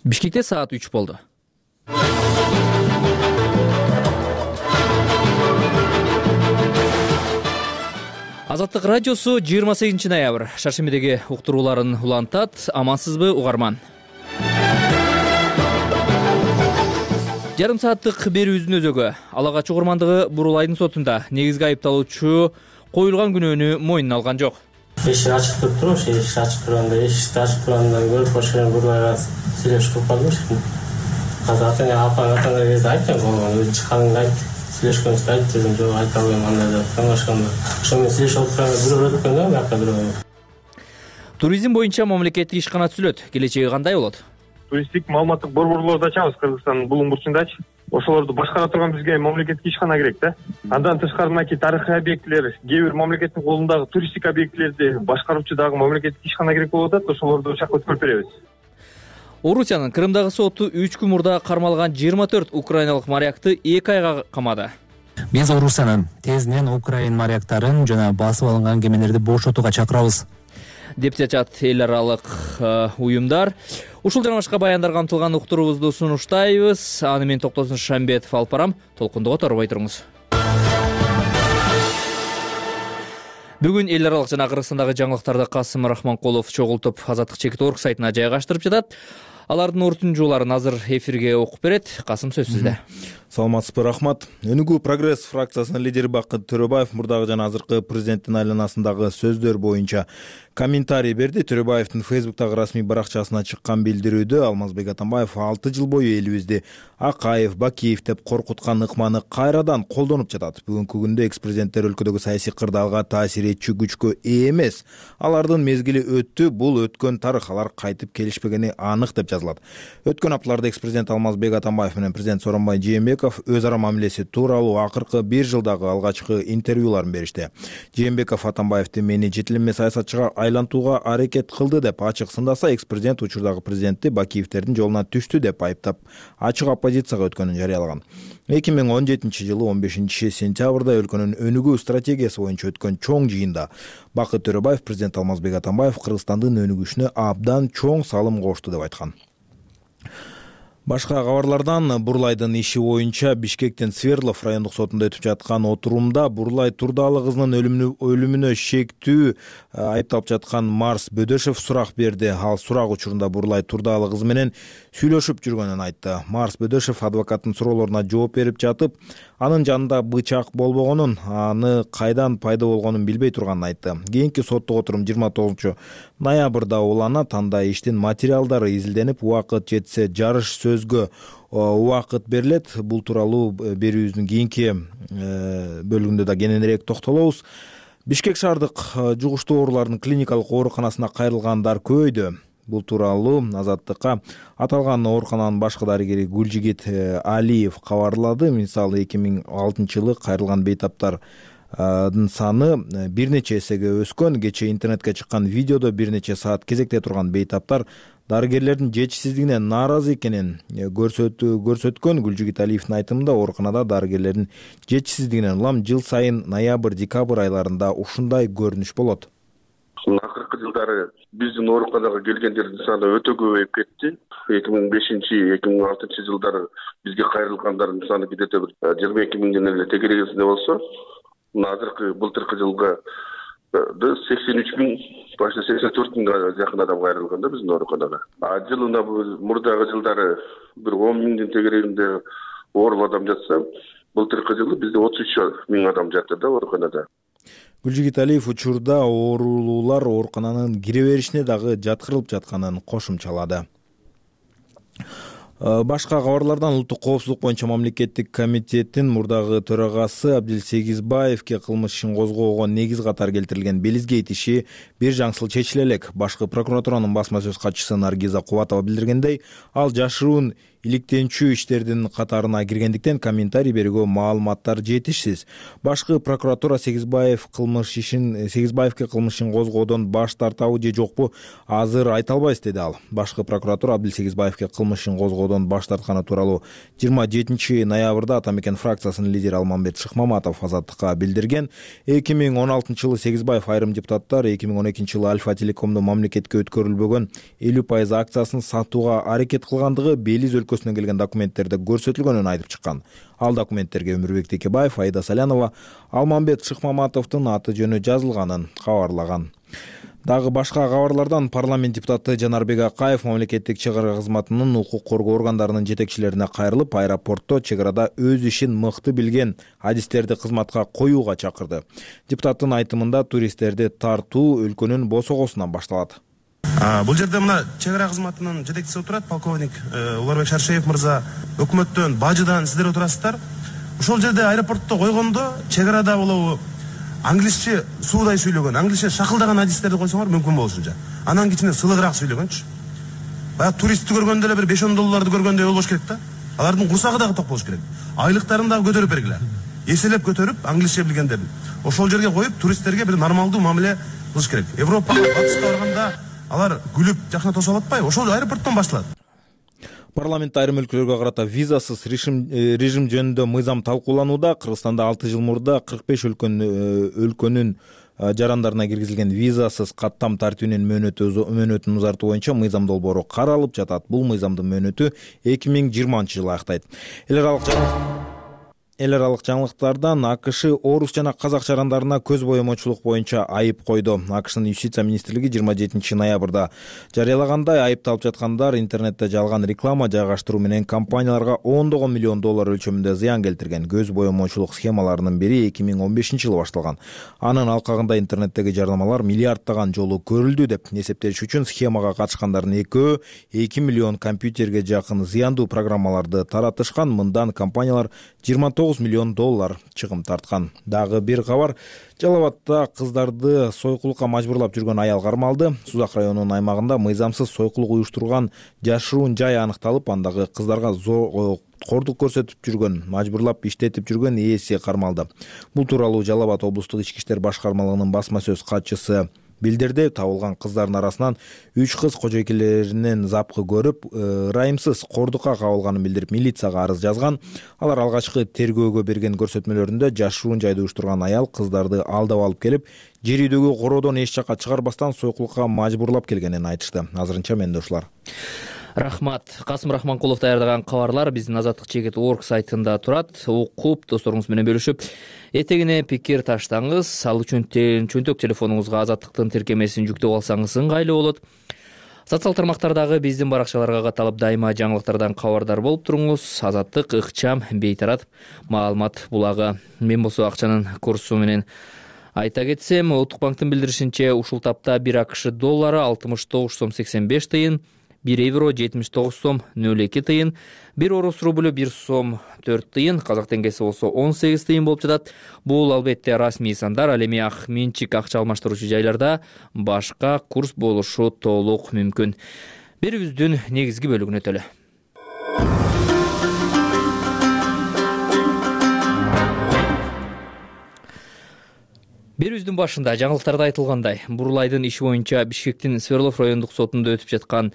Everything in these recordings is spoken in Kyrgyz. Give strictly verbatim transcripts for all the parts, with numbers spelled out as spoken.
Бишкекте саат үч болду. Азаттык радиосу жыйырма сегизинчи ноябрь шаршембидеги уктурууларын улантат. Амансызбы угарман? Жарым сааттык берүүбүздүн өзөгү Ала Качуу ормандыгы Бурулайдын сотунда негизги айыпталуучу коюлган күнөөнү мойнуна алган жок. Эшик ачык туруп турмуш, эшик ачык турганда, эшикти ачып тургандан көрүп ошол Бурулайга сүйлөшүп калдым. Азыр ата-эне апаң атаңа кезде айттым, өзү чыкканыңда айт, сүйлөшкөнүздө айт дедим, жок айта албайм андай деп таңашканда. Ошо менен сүйлөшүп отурганда бирөө өткөн да, бияка бирөө. Туризм боюнча мамлекеттик ишкана түзүлөт. Келечеги кандай болот? Туристтик маалыматтык борборлорду ачабыз Кыргызстандын булуң бурчундачы. Ошолорду башкара турган бизге мамлекеттик ишкана керек да. Андан тышкары мынакей тарыхый объектилер, кээ бир мамлекеттин колундагы туристтик объектилерди башкаруучу дагы мамлекеттик ишкана керек болуп атат. Ошолорду ошол жакка өткөрүп беребиз. Орусиянын Крымдагы соту үч күн мурда кармалган жыйырма төрт украиналык морякты эки айга камады. Биз Орусиянын тезинен Украин моряктарын жана басып алынган кемелерди бошотууга чакырабыз, деп чачат эл аралык уюмдар. Ушул жана башка баяндар камтылган уктуруубузду сунуштайбыз. Аны мен Токтосун Шамбетов алып барам. Толкундуга торбой туруңуз. Бүгүн эл аралык жана Кыргызстандагы жаңылыктарды Касым Рахманкулов чогултуп Азаттык чекит точка орг сайтына жайгаштырып жатат. Алардын орутундууларын азыр эфирге окуп берет. Касым, сөз сизде. Саламатсызбы, рахмат. Өнүгүү прогресс фракциясынын лидери Бакыт Төрөбаев мурдагы жана азыркы президенттин айланасындагы сөздөр боюнча комментарий берди. Төрөбаевдин Фейсбуктагы расмий баракчасына чыккан билдирүүдө Алмазбек Атамбаев алты жыл бою элибизди Акаев, Бакиев деп коркуткан ыкманы кайрадан колдонуп жатат. Бүгүнкү күндө экс-президенттер өлкөдөгү саясий кырдаалга таасир этчү күчкө ээ эмес. Алардын мезгили өттү, бул өткөн тарых, алар кайтып келишпегени анык деп жазылат. Өткөн апталарда экс-президент Алмазбек Атамбаев менен президент Сооронбай Жээнбеков өз ара мамилеси тууралуу акыркы бир жылдагы алгачкы интервьюларын беришти. Жээнбеков Атамбаевди мени жетилме саясатчыга айлантууга аракет кылды деп ачык сындаса, экс-президент учурдагы президентти Бакиевдердин жолуна түштү деп айыптап, ачык оппозицияга өткөнүн жарыялаган. эки миң он жетинчи жылы он бешинчи сентябрда өлкөнүн өнүгүү стратегиясы боюнча өткөн чоң жыйында Бакыт Төрөбаев президент Алмазбек Атамбаев Кыргызстандын өнүгүшүнө абдан чоң салым кошту деп айткан. Башка кабарлардан Бурулайдын иши боюнча Бишкектин Свердлов райондук сотунда өтүп жаткан отурумда Бурулай Турдаалы кызынын өлүмүнө шектүү айыпталып жаткан Марс Бөдөшев сурак берди. Ал сурак учурунда Бурулай Турдаалы кызы менен сүйлөшүп жүргөнүн айтты. Марс Бөдөшев адвокаттын суроолоруна жооп берип жатып, анын жанында бычак болбогонун, аны кайдан пайда болгонун билбей турганын айтты. Кийинки соттук отурум жыйырма тогузунчу ноябрда уланат. Анда иштин материалдары изилденип, убакыт жетсе жарыш сөзгө убакыт берилет. Бул тууралуу берүүбүздүн кийинки бөлүгүндө да кененирээк токтолобуз. Бишкек шаардык жугуштуу оорулардын клиникалык ооруканасына кайрылгандар көбөйдү. Бул тууралуу Азаттыкка аталган оорукананын башкы дарыгери Гүлжигит Алиев кабарлады. Мисалы эки миң алтынчы жылы кайрылган бейтаптардын саны бир нече эсеге өскөн. Кечээ интернетке чыккан видеодо бир нече саат кезекте турган бейтаптар дарыгерлердин жетишсиздигине нааразы экенин көрсөткөн. Гүлжигит Алиевдин айтымында ооруканада дарыгерлердин жетишсиздигинен улам жыл сайын ноябрь-декабрь айларында ушундай көрүнүш болот. Акыркы жылдары биздин ооруканага келгендердин саны өтө көбөйүп кетти. эки миң бешинчи эки миң алтынчы жылдары бизге кайрылгандардын саны где-то бир жыйырма эки миңден эле тегерегинде болсо, азыркы былтыркы жылга сексен үч миң, башка сексен төрт миңге жакын адам кайрылган да биздин ооруканага. А жылына мурдагы жылдары бир он миңдин тегерегинде оорулуу адам жатса, былтыркы жылы бизде отуз үч миң адам жатты да ооруканада. Гүлжигит Алиев учурда оорулуулар оорукананын кире беришине дагы жаткырылып жатканын кошумчалады. Башка кабарлардан улуттук коопсуздук боюнча мамлекеттик комитеттин мурдагы төрагасы Абдилсегизбаевке кылмыш ишин козгоого негиз катары келтирилген Белизгейт иши бир жаңсыл чечиле элек. Башкы прокуратуранын басма сөз катчысы Наргиза Кубатова билдиргендей, ал жашыруун иликтенчү иштердин катарына киргендиктен комментарий берүүгө маалыматтар жетишсиз. Башкы прокуратура Сегизбаев кылмыш ишин Сегизбаевке кылмыш ишин козгоодон баш тартабы же жокпу азыр айта албайбыз, деди ал. Башкы прокуратура Абдил Сегизбаевке кылмыш ишин козгоодон баш тартканы тууралуу жыйырма жетинчи ноябрда Ата мекен фракциясынын лидери Алмамбет Шыкмаматов Азаттыкка билдирген. эки миң он алтынчы жылы Сегизбаев айрым депутаттар эки миң он экинчи жылы Альфа Телекомдун мамлекетке өткөрүлбөгөн элүү пайыз акциясын сатууга аракет кылгандыгы Белиз өлкөсүнөн келген документтерде көрсөтүлгөнүн айтып чыккан. Ал документтерге Өмүрбек Текебаев, Аида Салянова, Алмамбет Шыкмаматовдун аты жөнү жазылганын кабарлаган. Дагы башка кабарлардан парламент депутаты Жанарбек Акаев мамлекеттик чек ара кызматынын укук коргоо органдарынын жетекчилерине кайрылып, аэропортто чек арада өз ишин мыкты билген адистерди кызматка коюуга чакырды. Депутаттын айтымында туристтерди тартуу өлкөнүн босогосунан башталат. Бул жерде мына чек ара кызматынын жетекчиси отурат, полковник Уларбек Шаршеев мырза, өкмөттөн, бажыдан сиздер отурасыздар. Ошол жерде аэропортто койгондо чек арада болобу англисче суудай сүйлөгөн, англисче шакылдаган адистерди койсоңор мүмкүн болушунча. Анан кичине сылыгыраак сүйлөгөнчү. Баягы туристти көргөндө эле бир беш он долларды көргөндөй болбош керек да. Алардын курсагы дагы ток болуш керек. Айлыктарын дагы көтөрүп бергиле. Эселеп көтөрүп, англисче билгендерин. Ошол жерге коюп, туристтерге бир нормалдуу мамиле кылыш керек. Европага, Батышка барганда алар күлүп, жакшына тосуп атпайбы? Ошол аэропорттон башталат. Парламент айрым өлкөлөргө карата визасыз режим режим жөнүндө мыйзам талкууланууда. Кыргызстанда алты жыл мурда кырк беш өлкөнүн жарандарына киргизилген визасыз каттам тартибинин мөөнөтүн узартуу боюнча мыйзам долбоору каралып жатат. Бул мыйзамдын мөөнөтү эки миң жыйырманчы жылы аяктайт. Эл аралык Эл аралык жаңылыктардан АКШ орус жана казак жарандарына көз боемочулук боюнча айып койду. АКШнын Юстиция министрлиги жыйырма жетинчи ноябрда жарыялагандай, айыпталып жаткандар интернетте жалган реклама жайгаштыруу менен компанияларга ондогон миллион доллар өлчөмүндө зыян келтирген. Көз боемочулук схемаларынын бири эки миң он бешинчи жылы башталган. Анын алкагында интернеттеги жарнамалар миллиарддаган жолу көрүлдү деп эсептеш үчүн схемага катышкандардын экөө эки миллион компьютерге жакын зыяндуу программаларды таратышкан. Мындан компаниялар жыйырма тогуз миллион доллар чыгым тарткан. Дагы бир кабар. Жалал Абадта кыздарды сойкулукка мажбурлап жүргөн аял кармалды. Сузак районунун аймагында мыйзамсыз сойкулук уюштурган жашыруун жай аныкталып, андагы кыздарга кордук көрсөтүп жүргөн, мажбурлап иштетип жүргөн ээси кармалды. Бул тууралуу Жалал Абад облустук ички иштер башкармалыгынын басма сөз катчысы билдирди. Табылган кыздардын арасынан үч кыз кожойкелеринен запкы көрүп, ырайымсыз кордукка кабылганын билдирип, милицияга арыз жазган. Алар алгачкы тергөөгө берген көрсөтмөлөрүндө жашыруун жайды уюштурган аял кыздарды алдап алып келип, жер үйдөгү короодон эч жакка чыгарбастан сойкулукка мажбурлап келгенин айтышты. Азырынча менде ушулар. Рахмат. Касым Рахманкулов даярдаган кабарлар биздин азаттык чекит точка орг сайтында турат. Окуп, досторуңуз менен бөлүшүп, этегине пикир таштаңыз. Ал үчүн чөнтөк телефонуңузга азаттыктын тиркемесин жүктөп алсаңыз ыңгайлуу болот. Социал тармактардагы биздин баракчаларга каталып дайыма жаңылыктардан кабардар болуп туруңуз. Азаттык, ыкчам, бейтарап маалымат булагы. Мен болсо акчанын курсу менен айта кетсем, Улуттук банктын билдиришинче ушул тапта бир АКШ доллары алтымыш тогуз сом сексен беш тыйын, бир евро жетимиш тогуз сом нөл эки тыйын, бир орус рублю бир сом төрт тыйын, казак теңгеси болсо он сегиз тыйын болуп жатат. Бул албетте расмий сандар, ал эми ак менчик акча алмаштыруучу жайларда башка курс болушу толук мүмкүн. Берүүбүздүн негизги бөлүгүнө өтөлү. Берүүбүздүн башында жаңылыктарда айтылгандай, Бурулайдын иши боюнча Бишкектин Свердлов райондук сотунда өтүп жаткан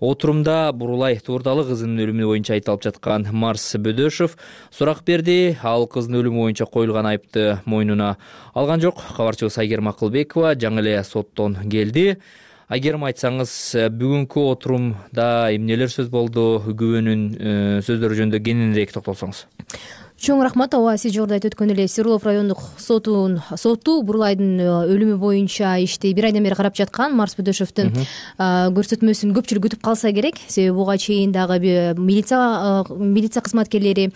отурумда Бурулай туурдалы кызынын өлүмү боюнча айтылып жаткан Марс Бөдөшов сурак берди. Ал кыздын өлүмү боюнча коюлган айыпты мойнуна алган жок. Кабарчыбыз Айгерим Акылбекова жаңы эле соттон келди. Айгерим, айтсаңыз, бүгүнкү отурумда эмнелер сөз болду? Күбөнүн сөздөрү жөнүндө кененирээк токтолсоңуз. Чоң рахмат. Ооба, сиз жогоруда айтып өткөн эле Свердлов райондук сотунун соту Бурулайдын өлүмү боюнча ишти бир айдан бери карап жаткан. Марс Бөдөшовдун көрсөтмөсүн көпчүлүк күтүп калса керек. Себеби буга чейин дагы милиция милиция кызматкерлери,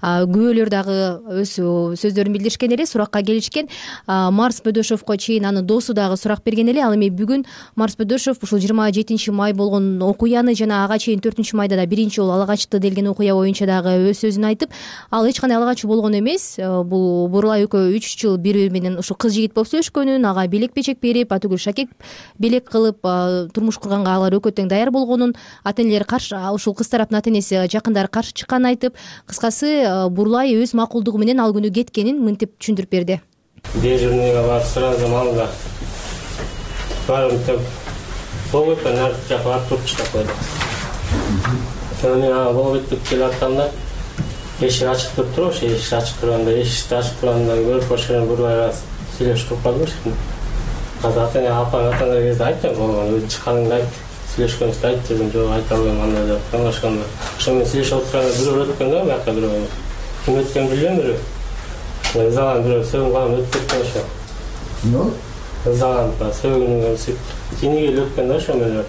күбөлөр дагы өз сөздөрүн билдиришкен эле, суракка келишкен. Марс Бөдөшовго чейин анын досу дагы сурак берген эле. Ал эми бүгүн Марс Бөдөшов ушул жыйырма жетинчи май болгон окуяны жана ага чейин төртүнчү майда да биринчи жолу ала качты делген окуя боюнча дагы өз сөзүн айтып, ал эч кандай гана ала качуу болгон эмес, бул Бурулай экөө үч жыл бири бири менен ушу кыз жигит болуп сүйлөшкөнүн, ага белек печек берип, атүгүл шакек белек кылып турмуш курганга алар экөө тең даяр болгонун, ата энелери каршы, ушул кыз тараптын ата энеси жакындары каршы чыкканын айтып, кыскасы Бурулай өз макулдугу менен ал күнү кеткенин мынтип түшүндүрүп берди. Дежурныйга барып сурадым, алда барып болбойт, нарт жакка барып туруп чыгып койду. Мен ага болбойт деп келип аттым да, эшик ачык туруп туруп, ошо эшик ачык турганда, эшикти ачып тургандан көрүп, ошо Бурулайга сүйлөшүп калдым эшикте. Азыр ата эне апаң ата эне кезде айттым, болгон өзү чыкканыңды айт, сүйлөшкөнүбүздү айт дедим, жок айта албайм андай деп каңашканда. Ошо мен сүйлөшүп отурганда бирөө өткөн да, бияка бирөө. Ким өткөнүн билбейм, бирөө. Ызадан бирөө сөгүн калам өтүп кеткен ошо. Эмне? Ызадан сөгүнүн өсүп, тиниге эле өткөн да ошо менен.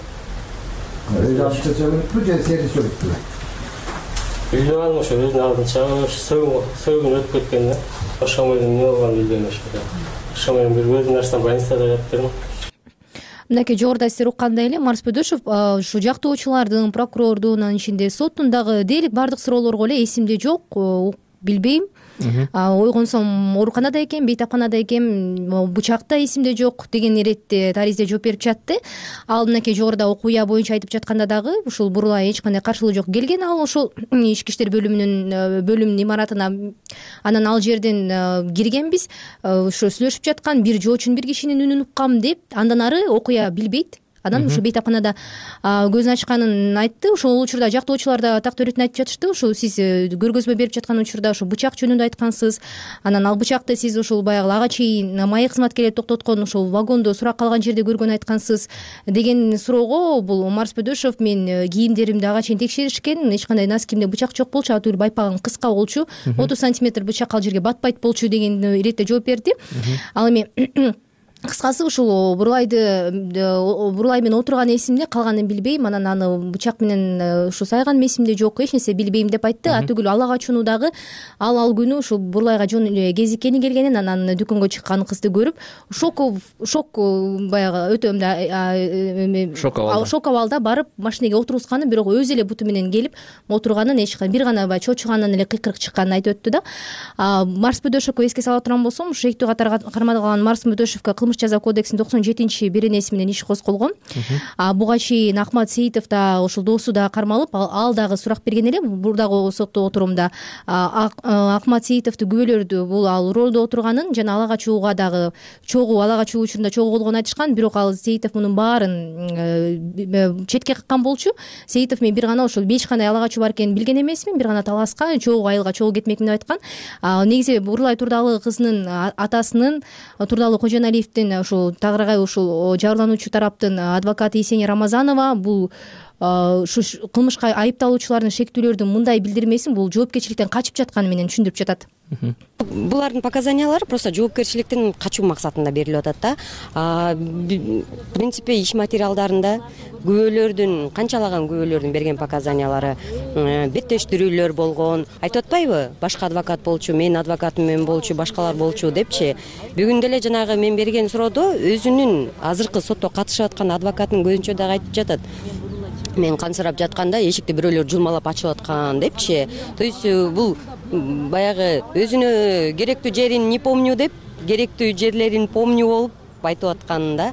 Ызадан сөгүнүппү же сени сөгүппү? Билбей калдым, ошо өзүнүн алдынча сөгүн сөгүн өтүп кеткен да. Ошо менен эмне болгонун билбейм ошо. Ошо менен бир өзүм нерседен больницада жатырмын. Мынакей жогоруда сиздер уккандай эле Марс Бөдөшов ушу жактоочулардын, прокурордун, анын ичинде соттун дагы дээрлик баардык суроолорго эле эсимде жок, билбейм. Ойгонсом ооруканада экен, бейтапканада экен, бычакта эсимде жок деген иретте таризде жооп берип жатты. Ал мынакей жогоруда окуя боюнча айтып жатканда дагы ушул Бурулай эч кандай каршылык жок келген, ал ошол ички иштер бөлүмүнүн бөлүм имаратына, анан ал жерден киргенбиз, ошо сүйлөшүп жаткан бир жоочун бир кишинин үнүн уккам деп, андан ары окуя билбейт. Анан ушу бейтапканада көзүн ачканын айтты. Ошол учурда жактоочулар да тактоо иретин айтып жатышты. Ушул сиз көргөзмө берип жаткан учурда ушу бычак жөнүндө айткансыз. Анан ал бычакты сиз ушул баягы ага чейин маек кызматкерлери токтоткон ушул вагондо сурак калган жерде көргөнүн айткансыз деген суроого бул Марс Бөдөшов мен кийимдеримди ага чейин текшеришкен, эч кандай носкимде бычак жок болчу, атүгүл байпагым кыска болчу, отуз сантиметр бычак ал жерге батпайт болчу деген иретте жооп берди. Ал эми кыскасы ушул Бурулайды Бурулай менен отурган эсимде, калганын билбейм. Анан аны бычак менен ушу сайган эсимде жок, эч нерсе билбейм деп айтты. Атүгүл ала качууну дагы ал ал күнү ушул Бурулайга жөн эле кезиккени келгенин, анан дүкөнгө чыккан кызды көрүп шок шок баягы өтө мындай шок абалда барып машинеге отургузганын, бирок өзү эле буту менен келип отурганын, эч кандай бир гана баягы чочугандан эле кыйкырык чыкканын айтып өттү да. Марс Бөдөшовго эске сала турган болсом, шектүү катарга кармалган Марс Бөдөшовго кылмыш жаза кодексинин токсон жетинчи беренеси менен иш козголгон. Буга чейин Акмат Сейитов да ошол досу да кармалып, ал дагы сурак берген эле. Бурдагы сотто отурумда Акмат Сейитовду күбөлөрдү бул ал ролдо отурганын жана ала качууга дагы чогуу ала качуу учурунда чогуу болгонун айтышкан. Бирок ал Сейитов мунун баарын четке каккан болчу. Сейитов мен бир гана ошол эч кандай ала качуу бар экенин билген эмесмин, бир гана таласка чогуу айылга чогуу кетмекмин деп айткан. Негизи Бурулай Турдалы кызынын атасынын, Турдалы Кожоналиевдин ушул тагыраагай ушул жабырлануучу тараптын адвокаты Есения Рамазанова бул ушу кылмышка айыпталуучулардын, шектүүлөрдүн мындай билдирмесин бул жоопкерчиликтен качып жатканы менен түшүндүрүп жатат. Булардын показаниялары просто жоопкерчиликтен качуу максатында берилип атат да. В принципе, иш материалдарында күбөлөрдүн, канчалаган күбөлөрдүн берген показаниялары беттештирүүлөр болгон. Айтып атпайбы? Башка адвокат болчу, менин адвокатым менен болчу, башкалар болчу депчи. Бүгүн деле жанагы мен берген суроодо өзүнүн азыркы сотто катышып аткан адвокатынын көзүнчө дагы айтып жатат. Мен кансырап жатканда эшикти бирөөлөр жулмалап ачып аткан депчи. То есть бул баягы өзүнө керектүү жерин не помню деп, керектүү жерлерин помню болуп айтып аткан да.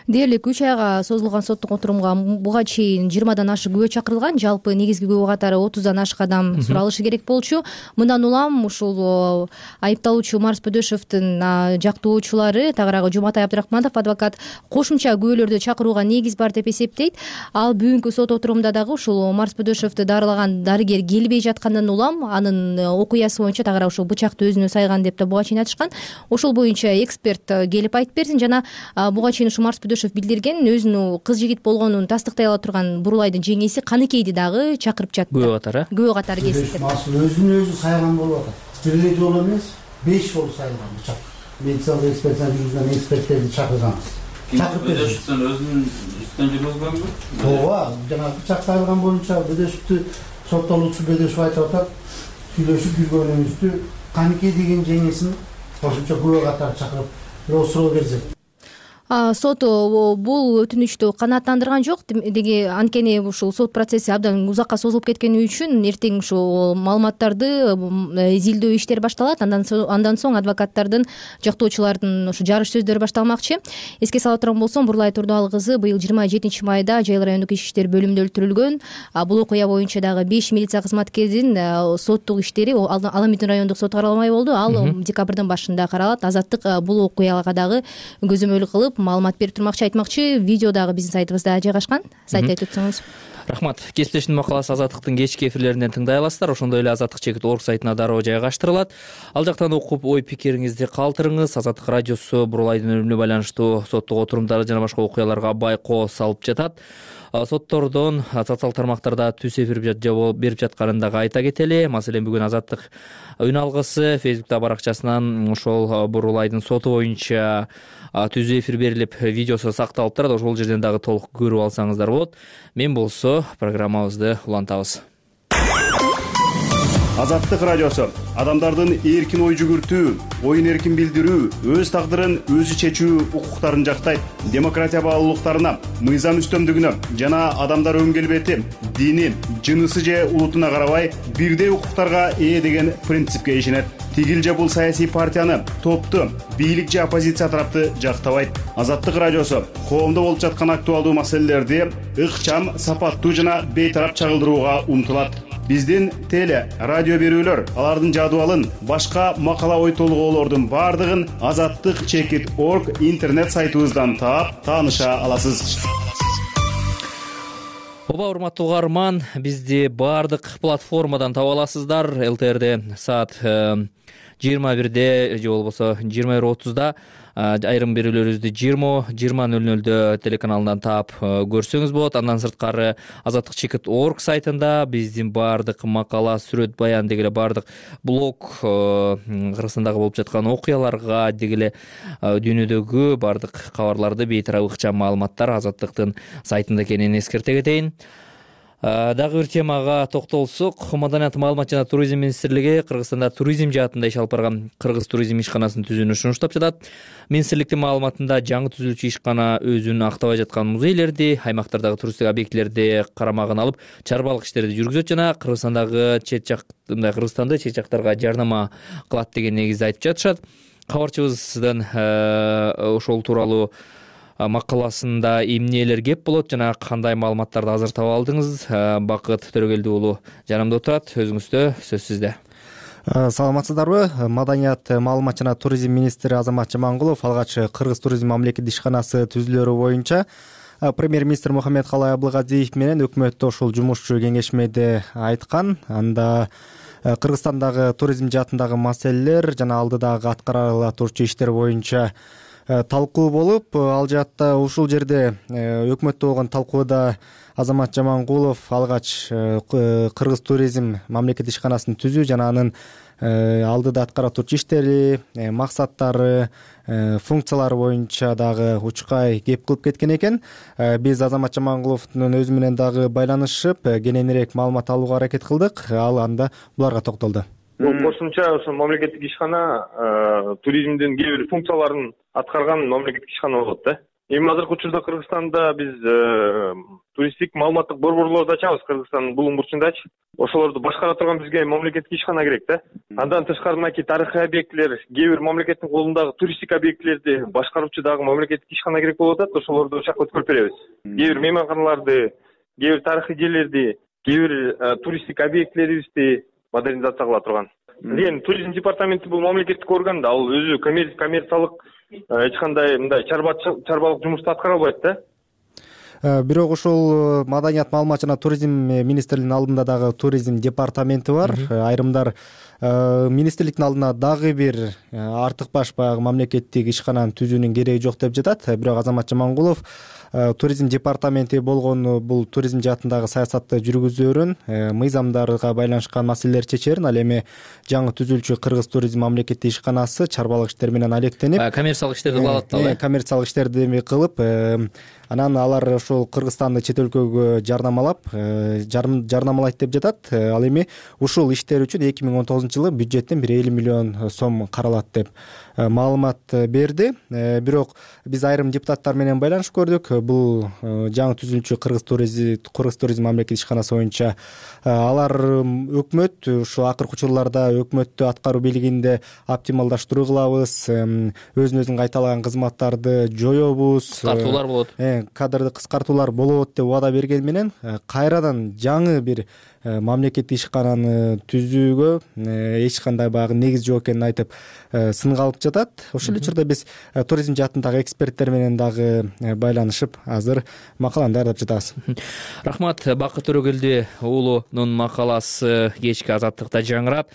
Дээрлик үч айга созулган соттук отурумга буга чейин жыйырмадан ашык күбө чакырылган. Жалпы негизги күбө катары отуздан ашык адам суралышы керек болчу. Мындан улам ушул айыпталуучу Марс Бөдөшовдун жактоочулары Тагыраагы Жуматай Абдрахманов адвокат кошумча күбөлөрдү чакырууга негиз бар деп эсептейт. Ал бүгүнкү сот отурумда дагы ушул Марс Бөдөшовду дарылаган дарыгер келбей жаткандан улам анын окуясы боюнча Тагыраа ушул бычакты өзүнө сайган деп да буга чейин айтышкан. Ошол боюнча эксперт келип айтып берсин жана буга чейин ушу Марс Бөдөшов билдирген өзүнүн кыз жигит болгонун тастыктай ала турган Бурулайдын жеңеси Каныкейди дагы чакырып жатты. Күбө катары. Күбө катары келип. Асыл өзүн өзү сайган болуп атат. Бир эле жолу эмес, беш жолу сайган бычак. Медициналык экспертиза жүргүзгөн эксперттерди чакырганбыз. Чакырып Бөдөшовдун өзүнүн үстүнөн жүргүзгөнбү? Ооба, жана бычак сайган боюнча Бөдөшовдү соттолуучу Бөдөшов айтып атат. Сүйлөшүп жүргөнүбүздү Каныкей деген жеңесин кошумча күбө катары чакырып бирок суроо берсе. сот бул өтүнүчтү канааттандырган жок деги, анткени ушул сот процесси абдан узакка созулуп кеткени үчүн эртең ушул маалыматтарды изилдөө иштери башталат. Андан соң адвокаттардын, жактоочулардын ушу жарыш сөздөрү башталмакчы. Эске сала турган болсом, Бурлай Турдубал кызы быйыл жыйырма жетинчи майда Жайыл райондук ички иштер бөлүмүндө өлтүрүлгөн. Бул окуя боюнча дагы беш милиция кызматкеринин соттук иштери Аламиттин райондук соту каралмай болду. Ал декабрдын башында каралат. Азаттык бул окуяга дагы көзөмөлдү кылып маалымат берип турмакчы, айтмакчы. Видео дагы биздин сайтыбызда жайгашкан. Сайтты айтып өтсөңүз. Рахмат. Кесиптештин макаласы Азаттыктын кечки эфирлеринен тыңдай аласыздар. Ошондой эле азаттык чекит орг сайтына дароо жайгаштырылат. Ал жактан окуп ой пикириңизди калтырыңыз. Азаттык радиосу Бурлайдын өлүмүнө байланыштуу соттук отурумдары жана башка окуяларга байкоо салып жатат. Соттордон социалдык тармактарда түз эфир берип жатканын дагы айта кетели. Маселен, бүгүн Азаттык үн алгысы Фейсбуктагы баракчасынан ошол Бурлайдын соту боюнча түз эфир берилип, видеосу сакталып турат. Ошол жерден дагы толук көрүп алсаңыздар болот. Мен болсо программабызды улантабыз. Азаттык радиосу адамдардын эркин ой жүгүртүү, оюн эркин билдирүү, өз тагдырын өзү чечүү укуктарын жактайт. Демократия баалуулуктарына, мыйзам үстөмдүгүнө жана адамдар өн келбети, дини, жынысы же улутуна карабай бирдей укуктарга ээ деген принципке ишенет. Тигил же бул саясий партияны, топту, бийлик же оппозиция тарапты жактабайт. Азаттык радиосу коомдо болуп жаткан актуалдуу маселелерди ыкчам, сапаттуу жана бейтарап чагылдырууга умтулат. Биздин теле, радио берүүлөр, алардын жадыбалын, башка макала ой толгоолордун бардыгын азаттык чекит орг интернет сайтыбыздан таап, тааныша аласыз. Оба, урматтуу угарман, бизди бардык платформадан таба аласыздар. ЛТРде саат жыйырма бирде же болбосо жыйырма бир отузда, айрым берүүлөрүбүздү жыйырма нөл нөлдө телеканалынан таап көрсөңүз болот. Андан сырткары азаттык чекит орг сайтында биздин бардык макала, сүрөт, баян дегеле бардык блог, Кыргызстандагы болуп жаткан окуяларга дегеле дүйнөдөгү бардык кабарларды бейтарап ыкчам маалыматтар азаттыктын сайтында экенин эскерте кетейин. Дагы бир темага токтолсок, Маданият, маалымат жана туризм министрлиги Кыргызстанда туризм жаатында иш алып барган Кыргыз туризм ишканасын түзүүнү сунуштап жатат. Министрликтин маалыматында жаңы түзүлүүчү ишкана өзүн актабай жаткан музейлерди, аймактардагы туристтик объектилерди карамагына алып, чарбалык иштерди жүргүзөт жана Кыргызстандагы чет жак, мындай Кыргызстанды чет жактарга жарнама кылат деген негизде айтып жатышат. Кабарчыбыздын ошол тууралуу макаласында эмнелер кеп болот жана кандай маалыматтарды азыр таба алдыңыз? Бакыт Төрөгелди уулу жанымда отурат. Өзүңүздө сөз сизде. Саламатсыздарбы? Маданият, маалымат жана туризм министри Азамат Жамангулов алгач Кыргыз туризм мамлекеттик ишканасы түзүлөрү боюнча премьер-министр Мухаммедкалай Абылгазиев менен өкмөттө ошол жумушчу кеңешмеде айткан. Анда Кыргызстандагы туризм жаатындагы маселелер жана алдыдагы аткарыла турчу иштер боюнча талкуу болуп, ал жаатта ушул жерде өкмөттө болгон талкууда Азамат Жамангулов алгач Кыргыз туризм мамлекеттик ишканасын түзүү жана анын алдыда аткара турчу иштери, максаттары, функциялары боюнча дагы учкай кеп кылып кеткен экен. Биз Азамат Жамангуловдун өзү менен дагы байланышып, кененирээк маалымат алууга аракет кылдык. Ал анда буларга токтолду. Кошумча ошо мамлекеттик ишкана туризмдин кээ бир функцияларын аткарган мамлекеттик ишкана болот да. Эми азыркы учурда Кыргызстанда биз туристтик маалыматтык борборлорду ачабыз, Кыргызстандын булуң бурчундачы. Ошолорду башкара турган бизге мамлекеттик ишкана керек да. Андан тышкары мынакей тарыхый объектилер, кээ бир мамлекеттин колундагы туристтик объектилерди башкаруучу дагы мамлекеттик ишкана керек болуп атат. Ошолорду ошол жака өткөрүп беребиз. Кээ бир мейманканаларды, кээ бир тарыхый жерлерди, кээ бир туристтик объектилерибизди модернизация кыла турган. Эми туризм департаменти бул мамлекеттик орган да, ал өзү коммерциялык эч кандай мындай чарбалык жумушту аткара албайт да. Бирок ошол Маданият, маалымат жана туризм министрлигинин алдында дагы туризм департаменти бар. Айрымдар министрликтин алдына дагы бир артык баш баягы мамлекеттик ишкананы түзүүнүн кереги жок деп жатат. Бирок Азамат Жамангулов туризм департаменти болгон бул туризм жаатындагы саясатты жүргүзөрүн, мыйзамдарга байланышкан маселелерди чечерин. Ал эми жаңы түзүлчү Кыргыз туризм мамлекеттик ишканасы чарбалык иштер менен алектенип, коммерциялык иштерди кылып атат, коммерциялык иштерди эми кылып, анан алар ошол Кыргызстанды чет өлкөгө жарнамалап, жарнамалайт деп жатат. Ал эми ушул иштер үчүн эки миң он тогузунчу жылы бюджеттен бир элүү миллион сом каралат деп маалымат берди. Бирок биз айрым депутаттар менен байланышып көрдүк. Бул жаңы түзүлчү Кыргыз туризм Кыргыз туризм мамлекеттик ишканасы боюнча алар өкмөт ушу акыркы учурларда өкмөттү аткаруу бийлигинде оптималдаштыруу кылабыз, өзүн өзүн кайталаган кызматтарды жоёбуз, кыскартуулар болот, кадрды кыскартуулар болот деп убада берген менен кайрадан жаңы бир мамлекеттик ишкананы түзүүгө эч кандай баягы негиз жок экенин айтып сынга алып жатат. Ошол эле учурда биз туризм жаатындагы эксперттер менен дагы байланышып азыр макаланы даярдап жатабыз. Рахмат. Бакыт Төрөгелди уулунун макаласы кечки Азаттыкта жаңырат.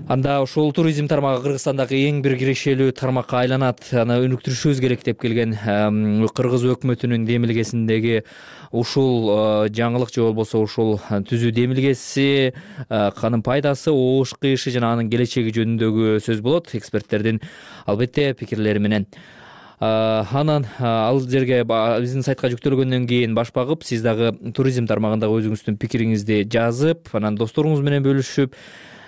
Анда ушул туризм тармагы Кыргызстандагы эң бир кирешелүү тармакка айланат. Аны өнүктүрүшүбүз керек деп келген Кыргыз өкмөтүнүн демилгесиндеги ушул жаңылык же болбосо ушул түзүү демилгеси, анын пайдасы, оош кыйышы жана анын келечеги жөнүндөгү сөз болот эксперттердин албетте пикирлери менен. Анан ал жерге биздин сайтка жүктөлгөндөн кийин баш багып, сиз дагы туризм тармагындагы өзүңүздүн пикириңизди жазып, анан досторуңуз менен бөлүшүп,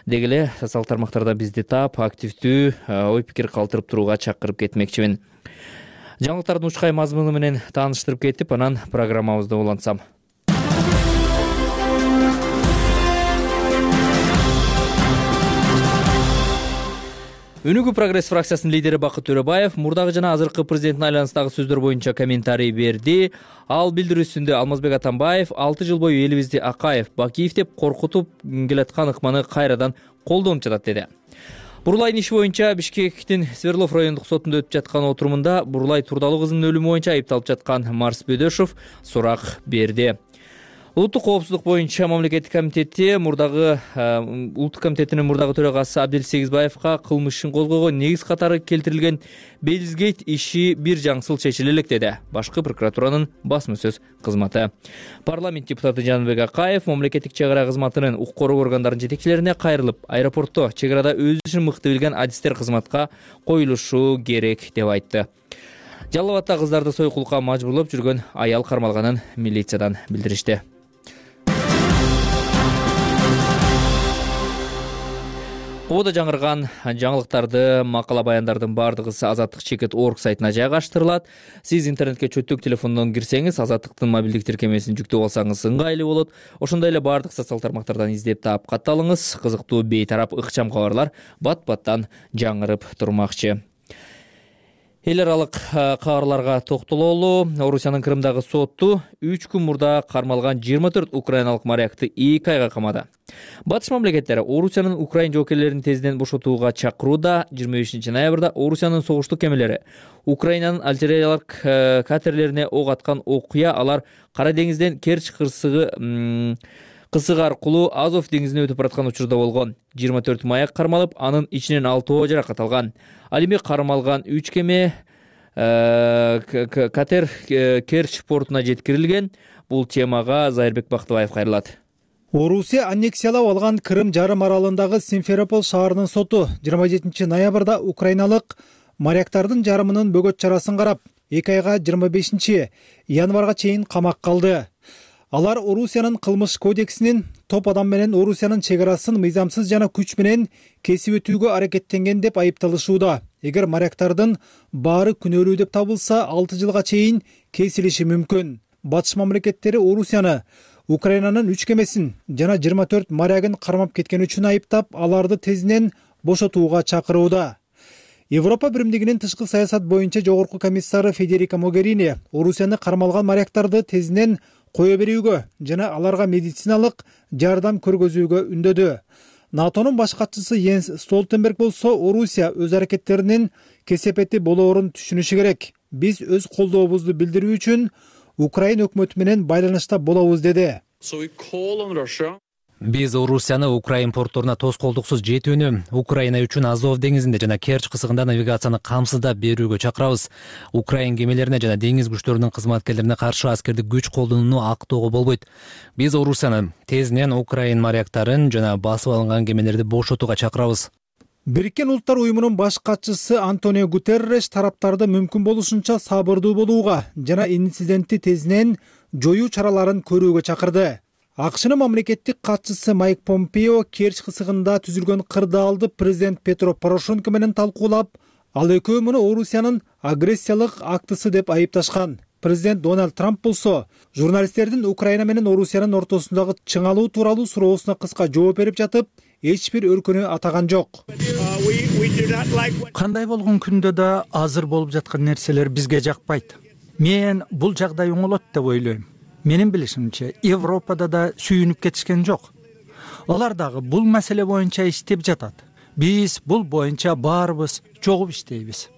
деги эле социалдык тармактарда бизди таап, активдүү ой пикир калтырып турууга чакырып кетмекчимин. Жаңылыктардын учкай мазмуну менен тааныштырып кетип, анан программабызды улантсам. Өнүгүү прогресс фракциясынын лидери Бакыт Төрөбаев мурдагы жана азыркы президенттин айланасындагы сөздөр боюнча комментарий берди. Ал билдирүүсүндө Алмазбек Атамбаев алты жыл бою элибизди Акаев, Бакиев деп коркутуп келаткан ыкманы кайрадан колдонуп жатат деди. Бурлайдын иши боюнча Бишкектин Свердлов райондук сотунда өтүп жаткан отурумунда Бурлай Турдалуу кызынын өлүмү боюнча айыпталып жаткан Марс Бөдөшов сурак берди. Улуттук коопсуздук боюнча мамлекеттик комитети мурдагы улуттук комитетинин мурдагы төрагасы Абдел Сегизбаевга кылмыш ишин козгоого негиз катары келтирилген Белизгейт иши бир жаңсыл чечиле элек деди башкы прокуратуранын басма сөз кызматы. Парламент депутаты Жаныбек Акаев мамлекеттик чек ара кызматынын укук коргоо органдарынын жетекчилерине кайрылып, аэропортто чек арада өз ишин мыкты билген адистер кызматка коюлушу керек деп айтты. Жалал Абадта кыздарды сойкулукка мажбурлап жүргөн аял кармалганын милициядан билдиришти. Кободо жаңырган жаңылыктарды, макала баяндардын баардыгы Азаттык чекит орг сайтына жайгаштырылат. Сиз интернетке чөттүк телефондон кирсеңиз, Азаттыктын мобилдик тиркемесин жүктөп алсаңыз ыңгайлуу болот. Ошондой эле баардык социалдык тармактардан издеп таап катталыңыз. Кызыктуу бейтарап ыкчам кабарлар бат-баттан жаңырып турмакчы. Эл аралык кабарларга токтололу. Орусиянын Крымдагы соту үч күн мурда кармалган жыйырма төрт украиналык морякты эки айга камады. Батыш мамлекеттери Орусиянын Украин жоокерлерин тезден бошотууга чакырууда. жыйырма бешинчи ноябрда Орусиянын согуштук кемелери Украинанын альтериялык катерлерине ок аткан окуя алар Кара деңизден Керчь кырсыгы кысыгы аркылуу Азов деңизине өтүп бараткан учурда болгон. жыйырма төрт маяк кармалып, анын ичинен алтоо жаракат алган. Ал эми кармалган үч кеме катер Керчь портуна жеткирилген. Бул темага Зайырбек Бактыбаев кайрылат. Орусия аннексиялап алган Крым жарым аралындагы Симферополь шаарынын соту жыйырма жетинчи ноябрда украиналык моряктардын жарымынын бөгөт чарасын карап, эки айга жыйырма бешинчи январга чейин камакка алды. Алар Орусиянын кылмыш кодексинин топ адам менен Орусиянын чек арасын мыйзамсыз жана күч менен кесип өтүүгө аракеттенген деп айыпталышууда. Эгер моряктардын баары күнөөлүү деп табылса, алты жылга чейин кесилиши мүмкүн. Батыш мамлекеттери Орусияны Украинанын үч кемесин жана жыйырма төрт морягын кармап кеткен үчүн айыптап, аларды тезинен бошотууга чакырууда. Европа биримдигинин тышкы саясат боюнча жогорку комиссары Федерика Могерини Орусияны кармалган моряктарды тезинен кое берүүгө жана аларга медициналык жардам көргөзүүгө үндөдү. НАТОнун баш катчысы Йенс Столтенберг болсо Орусия өз аракеттеринин кесепети болоорун түшүнүшү керек. Биз өз колдообузду билдирүү үчүн Украин өкмөтү менен байланышта болобуз деди. Биз Орусияны Украин портторуна тоскоолдуксуз жетүүнү, Украина үчүн Азов деңизинде жана Керчь кысыгында навигацияны камсыздап берүүгө чакырабыз. Украин кемелерине жана деңиз күчтөрүнүн кызматкерлерине каршы аскердик күч колдонууну актоого болбойт. Биз Орусияны тезинен Украин моряктарын жана басып алынган кемелерди бошотууга чакырабыз. Бириккен Улуттар уюмунун баш катчысы Антонио Гутерреш тараптарды мүмкүн болушунча сабырдуу болууга жана инцидентти тезинен жоюу чараларын көрүүгө чакырды. АКШнын мамлекеттик катчысы Майк Помпео Керчь кысыгында түзүлгөн кырдаалды президент Петро Порошенко менен талкуулап, ал экөө муну Орусиянын агрессиялык актысы деп айыпташкан. Президент Дональд Трамп болсо журналисттердин Украина менен Орусиянын ортосундагы чыңалуу тууралуу суроосуна кыска жооп берип жатып, эч бир өлкөнү атаган жок. Кандай болгон күндө да азыр болуп жаткан нерселер бизге жакпайт. Мен бул жагдай оңолот деп ойлойм. Менин билишимче, Европада да сүйүнүп кетишкен жок. Алар дагы бул маселе боюнча иштеп жатат. Биз бул боюнча баарыбыз чогуп иштейбиз.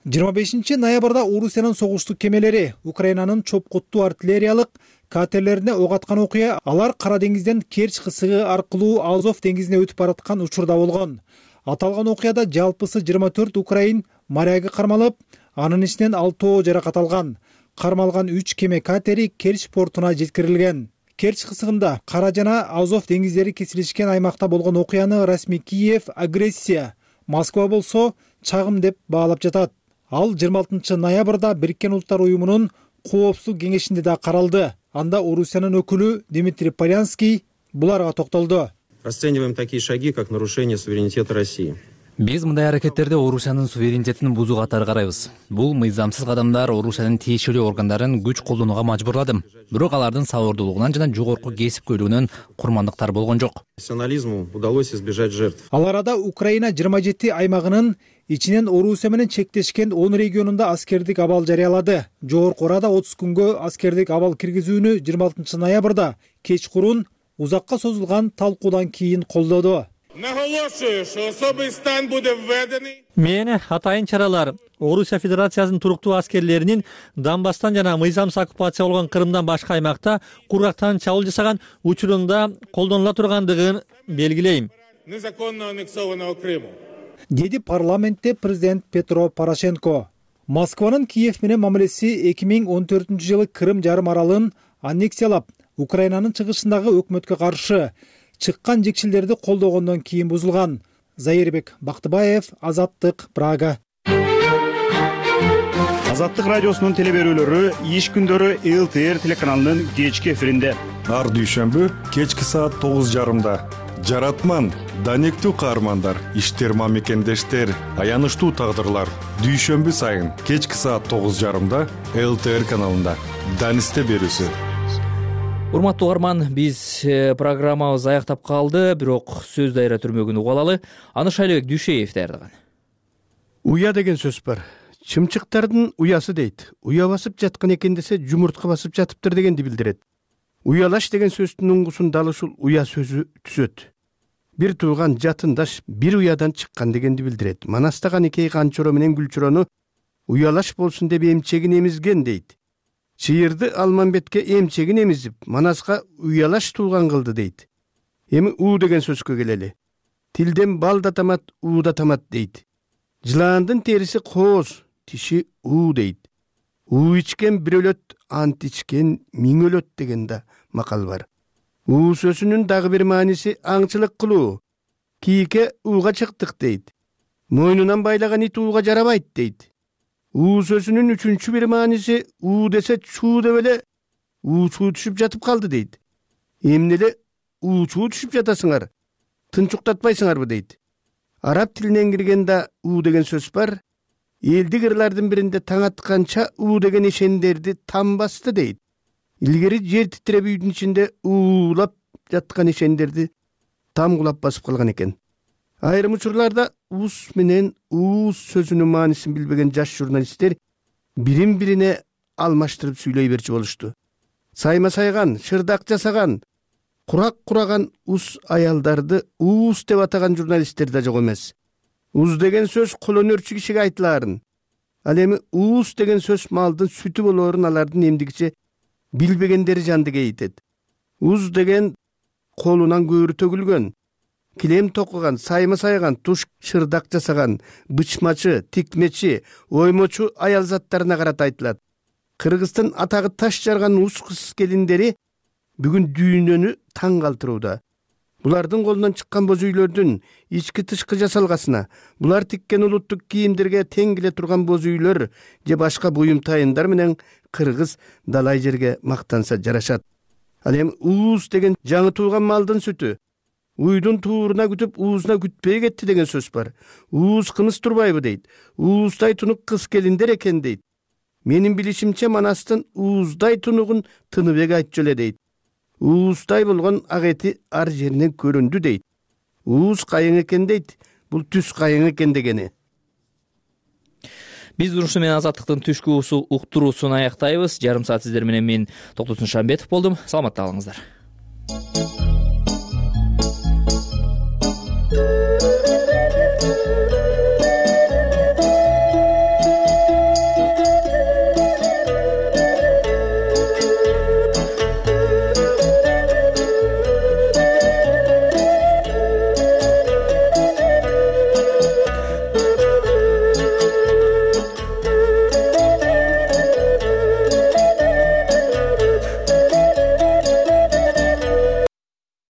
жыйырма бешинчи ноябрда Орусиянын согуштук кемелери Украинанын чопкуттуу артиллериялык катерлерине ок аткан окуя алар Кара деңизден Керчь кысыгы аркылуу Азов деңизине өтүп бараткан учурда болгон. Аталган окуяда жалпысы жыйырма төрт украин моряги кармалып, анын ичинен алтоо жаракат алган. Кармалган үч кеме катери Керчь портуна жеткирилген. Керчь кысыгында Кара жана Азов деңиздери кесилишкен аймакта болгон окуяны расмий Киев агрессия, Москва болсо чагым деп баалап жатат. Ал жыйырма алтынчы ноябрда Бириккен Улуттар уюмунун коопсуздук кеңешинде да каралды. Анда Орусиянын өкүлү Дмитрий Полянский буларга токтолду. Расцениваем такие шаги, как нарушение суверенитета России. Биз мындай аракеттерди Орусиянын суверенитетин бузуу катары карайбыз. Бул мыйзамсыз кадамдар Орусиянын тиешелүү органдарын күч колдонууга мажбурлады. Бирок алардын сабырдуулугунан жана жогорку кесипкөйлүгүнөн курмандыктар болгон жок. Профессионализму удалось избежать жертв. Ал арада Украина жыйырма жети аймагынын ичинен Орусия менен чектешкен он регионунда аскердик абал жарыялады. Жогорку Орада отуз күнгө аскердик абал киргизүүнү жыйырма алтынчы ноябрда кечкурун узакка созулган талкуудан кийин колдоду. Наголошую, що особий стан буде введений. Мени атайын чаралар Орусия Федерациясынын туруктуу аскерлеринин Донбасстан жана мыйзамсыз оккупация болгон Крымдан башка аймакта кургактан чабуул жасаган учурунда колдонула тургандыгын белгилейм. Незаконно аннексованного Криму. Деди парламентте президент Петро Порошенко. Москванын Киев менен мамилеси эки миң он төртүнчү жылы Крым жарым аралын аннексиялап, Украинанын чыгышындагы өкмөткө каршы чыккан жекшелерди колдогондон кийин бузулган. Заирбек Бактыбаев, Азаттык, Прага. Азаттык радиосунун телеберүүлөрү иш күндөрү эл ти эр телеканалынын кечки эфиринде. Ар дүйшөмбү кечки саат тогуз жарымда. Жаратман, данектүү каармандар, иштер мамекендештер, аянычтуу тагдырлар. Дүйшөмбү сайын кечки саат тогуз жарымда эл ти эр каналында. Данисте берүүсү. Урматтуу угарман, биз программабыз аяктап калды, бирок сөз дайра түрмөгүн угуп алалы. Аны Шайлебек Дүйшеев даярдаган. Уя деген сөз бар. Чымчыктардын уясы дейт. Уя басып жаткан экен десе, жумуртка басып жатыптыр дегенди билдирет. Уялаш деген сөздүн уңгусун дал ушул уя сөзү түзөт. Бир тууган жатындаш бир уядан чыккан дегенди билдирет. Манастаган эки канчоро менен Гүлчүрөнү уялаш болсун деп эмчегин эмизген дейт. Чыйырды Алманбетке эмчегин эмизип, Манаска уялаш тууган кылды дейт. Эми у деген сөзгө келели. Тилден бал да тамат, у да тамат дейт. Жылаандын териси кооз, тиши у дейт. У ичкен бир өлөт, ант ичкен миң өлөт деген да макал бар. У сөзүнүн дагы бир мааниси аңчылык кылуу. Кийке уга чыктык дейт. Мойнунан байлаган ит уга жарабайт дейт. У сөзүнүн үчүнчү бир мааниси у десе чуу деп эле уучуу түшүп жатып калды дейт. Эмне эле уучуу түшүп жатасыңар? Тынчуктатпайсыңарбы дейт. Араб тилинен кирген да у деген сөз бар. Элдик ырлардын биринде таң атканча у деген ишендерди там басты дейт. Илгери жер титиреп үйдүн ичинде уулап жаткан ишендерди там кулап басып калган экен. Айрым учурларда ус менен уус сөзүнүн маанисин билбеген жаш журналисттер бирин бирине алмаштырып сүйлөй берчү болушту. Сайма сайган, шырдак жасаган, курак кураган ус аялдарды уус деп атаган журналисттер да жок эмес. Уз деген сөз кол өнөрчү кишиге айтылаарын. Ал эми уус деген сөз малдын сүтү болоорун алардын эмдигиче билбегендери жанды кейитет. уз деген колунан көөрү төгүлгөн, килем токуган, сайма сайган, туш шырдак жасаган, бычмачы, тикмечи, оймочу аял заттарына карата айтылат. Кыргыздын атагы таш жарган уз кыз келиндери бүгүн дүйнөнү таң калтырууда. Булардын колунан чыккан боз үйлөрдүн ички тышкы жасалгасына, булар тиккен улуттук кийимдерге тең келе турган боз үйлөр же башка буюм тайындар менен кыргыз далай жерге мактанса жарашат. Ал эми уз деген жаңы тууган малдын сүтү. Уйдун тууруна күтүп, уузуна күтпөй кетти деген сөз бар. Ууз кымыз турбайбы дейт. Ууздай тунук кыз келиндер экен дейт. Менин билишимче Манастын ууздай тунугун Тыныбек айтчу эле дейт. Ууздай болгон ак эти ар жеринен көрүндү дейт. Ууз кайың экен дейт. Бул түз кайың экен дегени. Биз урушу менен Азаттыктын түшкү уктуруусун аяктайбыз. Жарым саат сиздер менен мен Токтосун Шамбетов болдум. Саламатта калыңыздар.